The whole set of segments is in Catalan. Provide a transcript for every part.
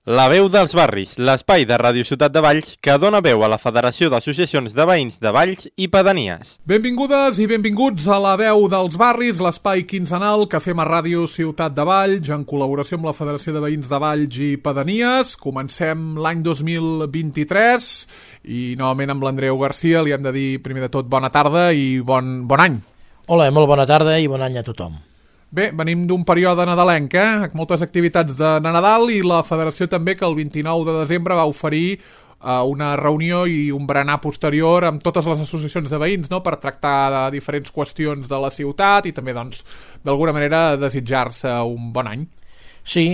La veu dels barris, l'espai de Ràdio Ciutat de Valls que dona veu a la Federació d'Associacions de Veïns de Valls i Pedanies. Benvingudes i benvinguts a La veu dels barris, l'espai quinzenal que fem a Ràdio Ciutat de Valls en col·laboració amb la Federació de Veïns de Valls i Pedanies. Comencem l'any 2023 i novament amb l'Andreu Garcia li hem de dir primer de tot bona tarda i bon any. Hola, molt bona tarda i bon any a tothom. Bé, venim d'un període nadalenc, moltes activitats de Nadal i la Federació també que el 29 de desembre va oferir una reunió i un berenar posterior amb totes les associacions de veïns, no?, per tractar de diferents qüestions de la ciutat i també, doncs, d'alguna manera desitjar-se un bon any. Sí,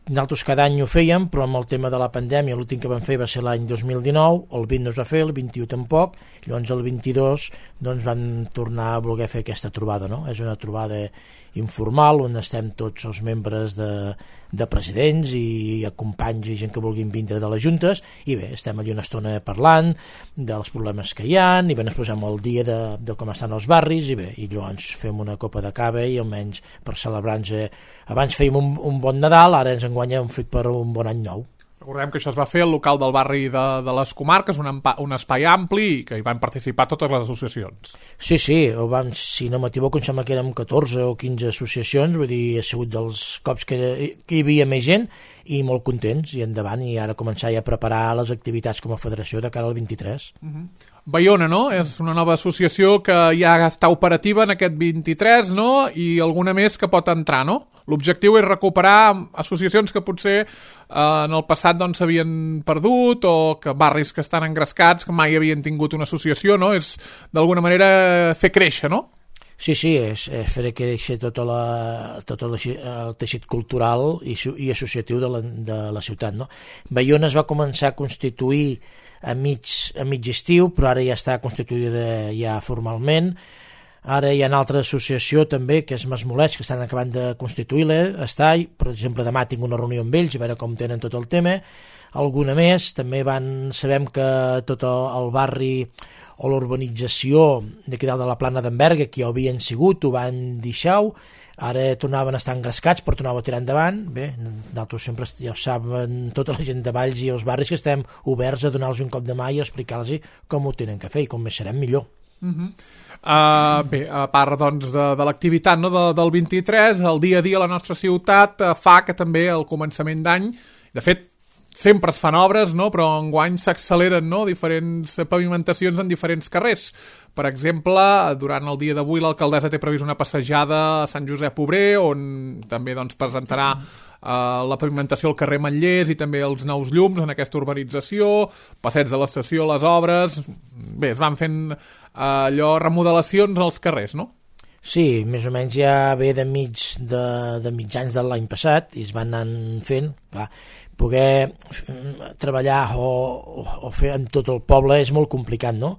nosaltres cada any ho fèiem, però amb el tema de la pandèmia l'últim que vam fer va ser l'any 2019, el 20 no es va fer, el 21 tampoc, llavors el 22 doncs vam tornar a voler fer aquesta trobada, no? És una trobada informal on estem tots els membres de presidents i companys i gent que vulguin vindre de les juntes i bé, estem allà una estona parlant dels problemes que hi ha i bé, ens posem al dia de com estan els barris i bé, i llavors fem una copa de cava i almenys per celebrar-nos abans fèiem un bon Nadal, ara ens enguanya un fet per un bon any nou. Recordem que això es va fer al local del barri de les Comarques, un espai ampli i que hi van participar totes les associacions. Sí, si no m'equivoco, em sembla que érem 14 o 15 associacions, vull dir, ha sigut dels cops que hi havia més gent i molt contents, i endavant, i ara començar ja a preparar les activitats com a federació de cara al 23. Baiona, no? És una nova associació que ja està operativa en aquest 23, no? I alguna més que pot entrar, no? L'objectiu és recuperar associacions que potser en el passat doncs s'havien perdut o que barris que estan engrescats, que mai havien tingut una associació, no? És d'alguna manera fer créixer, no? Sí, és fer créixer tot el teixit cultural i associatiu de la ciutat, no? Baiona es va començar a constituir a mig estiu, però ara ja està constituïda ja formalment. Ara hi ha una altra associació també, que és Masmolets, que estan acabant de constituir-la, per exemple, demà tinc una reunió amb ells, a veure com tenen tot el tema. Alguna més, també sabem que tot el barri o l'urbanització d'aquí dalt de la Plana d'Enverga, que ja ho havien sigut, ho van deixar, ara tornaven a estar engrescats per tornar a tirar endavant. Bé, nosaltres sempre, ja ho saben tota la gent de Valls i els barris, que estem oberts a donar-los un cop de mà i explicar-los com ho tenen que fer i com més serem millor. Bé, a part doncs, de l'activitat, no, del 23, el dia a dia a la nostra ciutat fa que també al començament d'any, de fet sempre es fan obres, no, però enguany s'acceleren, no, diferents pavimentacions en diferents carrers. Per exemple, durant el dia d'avui l'alcaldessa té previst una passejada a Sant Josep Obrer, on també doncs, presentarà la pavimentació al carrer Manllers i també els nous llums en aquesta urbanització, passeig de l'estació, les obres. Bé, es van fent remodelacions als carrers, no? Sí, més o menys ja ve de mitjans de l'any passat i es van anar fent, clar, poder treballar o fer en tot el poble és molt complicat, no?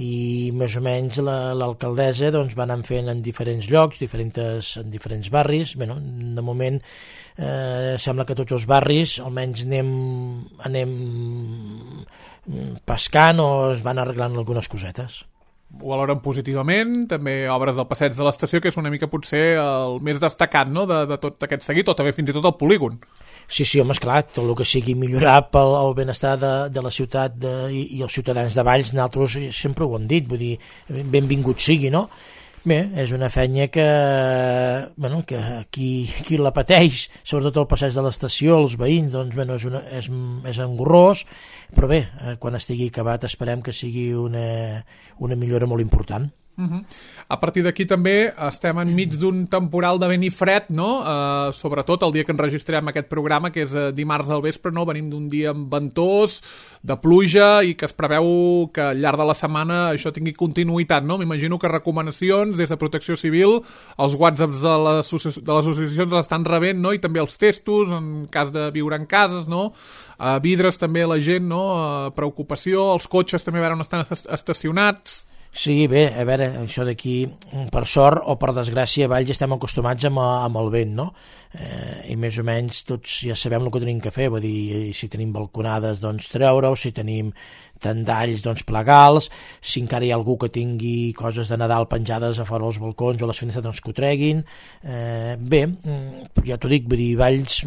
I més o menys l'alcaldessa doncs, va anar fent en diferents llocs, en diferents barris. Bé, no? De moment sembla que tots els barris almenys anem pescant o es van arreglant algunes cosetes. Ho valoren positivament, també obres del passeig de l'estació, que és una mica potser el més destacat, no?, de tot aquest seguit, o també fins i tot el polígon. Sí, home, esclar, tot el que sigui millorar pel benestar de la ciutat i els ciutadans de Valls, nosaltres sempre ho hem dit, vull dir, benvingut sigui, no? Bé, és una feina que qui la pateix, sobretot el passeig de l'estació, els veïns, doncs, és engorrós, però bé, quan estigui acabat esperem que sigui una millora molt important. A partir d'aquí també estem enmig d'un temporal de vent i fred, no? Sobretot el dia que enregistrem aquest programa, que és dimarts al vespre, no? Venim d'un dia ventós, de pluja, i que es preveu que al llarg de la setmana això tingui continuïtat, no? M'imagino que recomanacions des de Protecció Civil, els whatsapps de les associacions l'estan rebent, no? I també els testos, en cas de viure en cases, no? Vidres també la gent, no? Preocupació, els cotxes també a veure on estan estacionats. Sí, bé, a veure, això d'aquí, per sort o per desgràcia, a Valls estem acostumats amb el vent, no? i més o menys tots ja sabem el que tenim que fer, vull dir, si tenim balconades doncs treure-ho, si tenim tendalls doncs plegals, si encara hi ha algú que tingui coses de Nadal penjades a fora dels balcons o les finestres doncs que ho treguin. Bé, ja t'ho dic, vull dir, Valls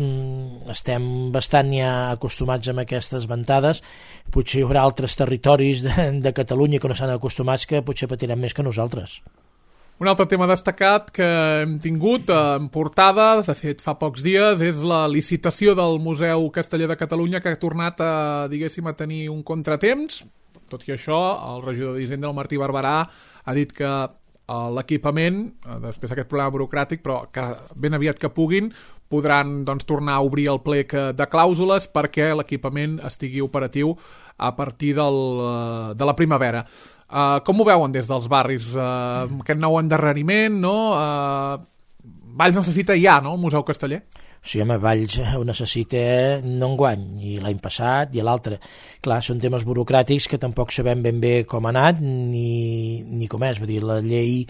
estem bastant ja acostumats amb aquestes ventades, potser hi haurà altres territoris de Catalunya que no s'han acostumats que potser patirem més que nosaltres. Un altre tema destacat que hem tingut en portada, de fet fa pocs dies, és la licitació del Museu Casteller de Catalunya, que ha tornat a, diguéssim, a tenir un contratemps. Tot i això, el regidor d'Hisenda, el Martí Barberà, ha dit que l'equipament, després d'aquest problema burocràtic, però que ben aviat que puguin, podran doncs, tornar a obrir el plec de clàusules perquè l'equipament estigui operatiu a partir de la primavera. Com ho veuen des dels barris? Aquest nou endarreriment, no? Valls necessita ja, no?, el Museu Casteller? Sí, home, Valls ho necessita no enguany, i l'any passat i l'altre. Clar, són temes burocràtics que tampoc sabem ben bé com ha anat ni com és. Vull dir, la llei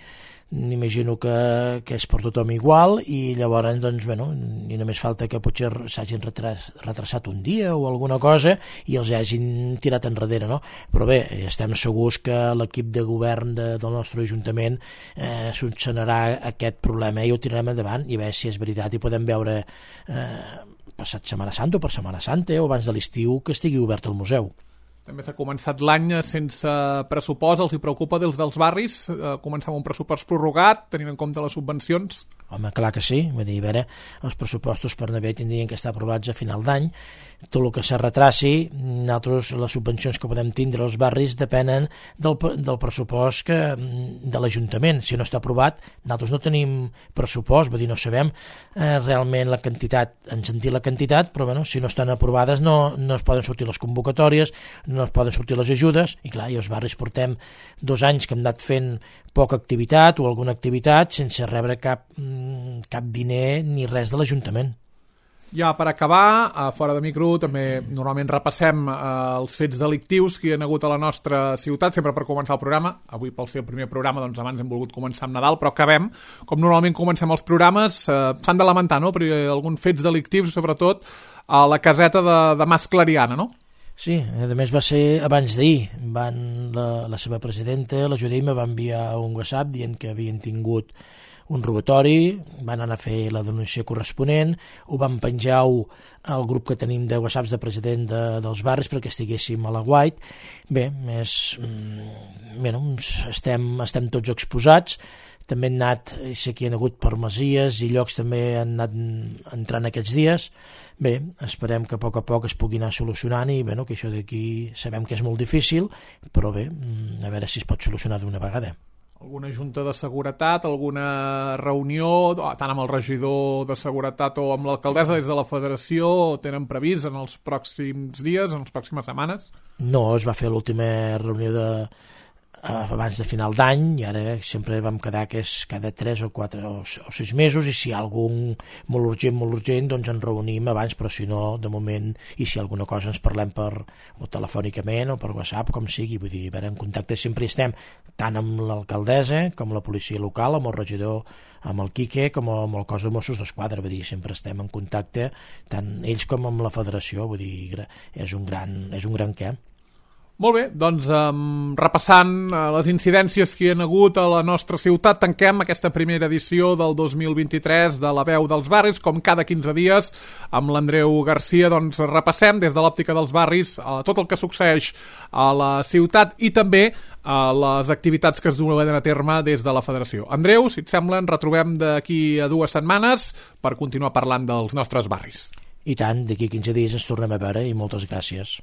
m'imagino que és per tothom igual i llavors, doncs, bueno, i només falta que potser s'hagin retrasat un dia o alguna cosa i els hagin tirat enrere, no? Però bé, estem segurs que l'equip de govern del nostre Ajuntament solucionarà aquest problema i ho tirarem endavant i a veure si és veritat i podem veure passat Setmana Santa o per Setmana Santa o abans de l'estiu que estigui obert el museu. També s'ha començat l'any sense pressupost, els hi preocupa dels barris començar amb un pressupost prorrogat, tenint en compte les subvencions? Home, clar que sí, vull dir, a veure, els pressupostos per Navè tindrien que estar aprovats a final d'any, tot el que se retraci, nosaltres les subvencions que podem tindre als barris depenen del pressupost de l'Ajuntament. Si no està aprovat, nosaltres no tenim pressupost, vull dir, no sabem realment la quantitat, ens han dit la quantitat, però bueno, si no estan aprovades no es poden sortir les convocatòries, no es poden sortir les ajudes, i clar, i els barris portem 2 anys que hem anat fent poca activitat o alguna activitat sense rebre cap diner ni res de l'Ajuntament. Ja per acabar, fora de micro, també normalment repassem els fets delictius que hi ha hagut a la nostra ciutat, sempre per començar el programa. Avui, pel seu primer programa, doncs abans hem volgut començar amb Nadal, però acabem. Com normalment comencem els programes, s'han de lamentar, no?, per alguns fets delictius, sobretot a la caseta de Mas Clariana, no? Sí, a més va ser abans d'ahir. La seva presidenta, la Judit, me va enviar un WhatsApp dient que havien tingut un robatori, van anar a fer la denúncia corresponent, ho van penjar al grup que tenim de WhatsApps de president dels barris perquè estiguéssim a la White. Bé, estem tots exposats, també han anat, sé que hi ha hagut per Masies i llocs també han anat entrant aquests dies. Bé, esperem que a poc es pugui anar solucionant i bueno, que això d'aquí sabem que és molt difícil, però bé, a veure si es pot solucionar d'una vegada. Alguna junta de seguretat, alguna reunió, tant amb el regidor de seguretat o amb l'alcaldessa des de la federació, tenen previst en els pròxims dies, en les pròximes setmanes? No, es va fer l'última reunió abans de final d'any i ara sempre vam quedar que és cada 3 o 4 o 6 mesos i si hi ha algun molt urgent, doncs ens reunim abans, però si no, de moment, i si alguna cosa ens parlem o telefònicament o per WhatsApp, com sigui, vull dir, a veure, en contacte sempre estem, tant amb l'alcaldessa com la policia local, amb el regidor, amb el Quique, com amb el cos de Mossos d'Esquadra, vull dir, sempre estem en contacte, tant ells com amb la federació, vull dir, és un gran què. Molt bé, doncs repassant les incidències que hi ha hagut a la nostra ciutat, tanquem aquesta primera edició del 2023 de La Veu dels Barris, com cada 15 dies amb l'Andreu Garcia, doncs repassem des de l'òptica dels barris tot el que succeeix a la ciutat i també les activitats que es duen a terme des de la federació. Andreu, si et sembla, ens retrobem d'aquí a 2 setmanes per continuar parlant dels nostres barris. I tant, d'aquí 15 dies ens tornem a veure i moltes gràcies.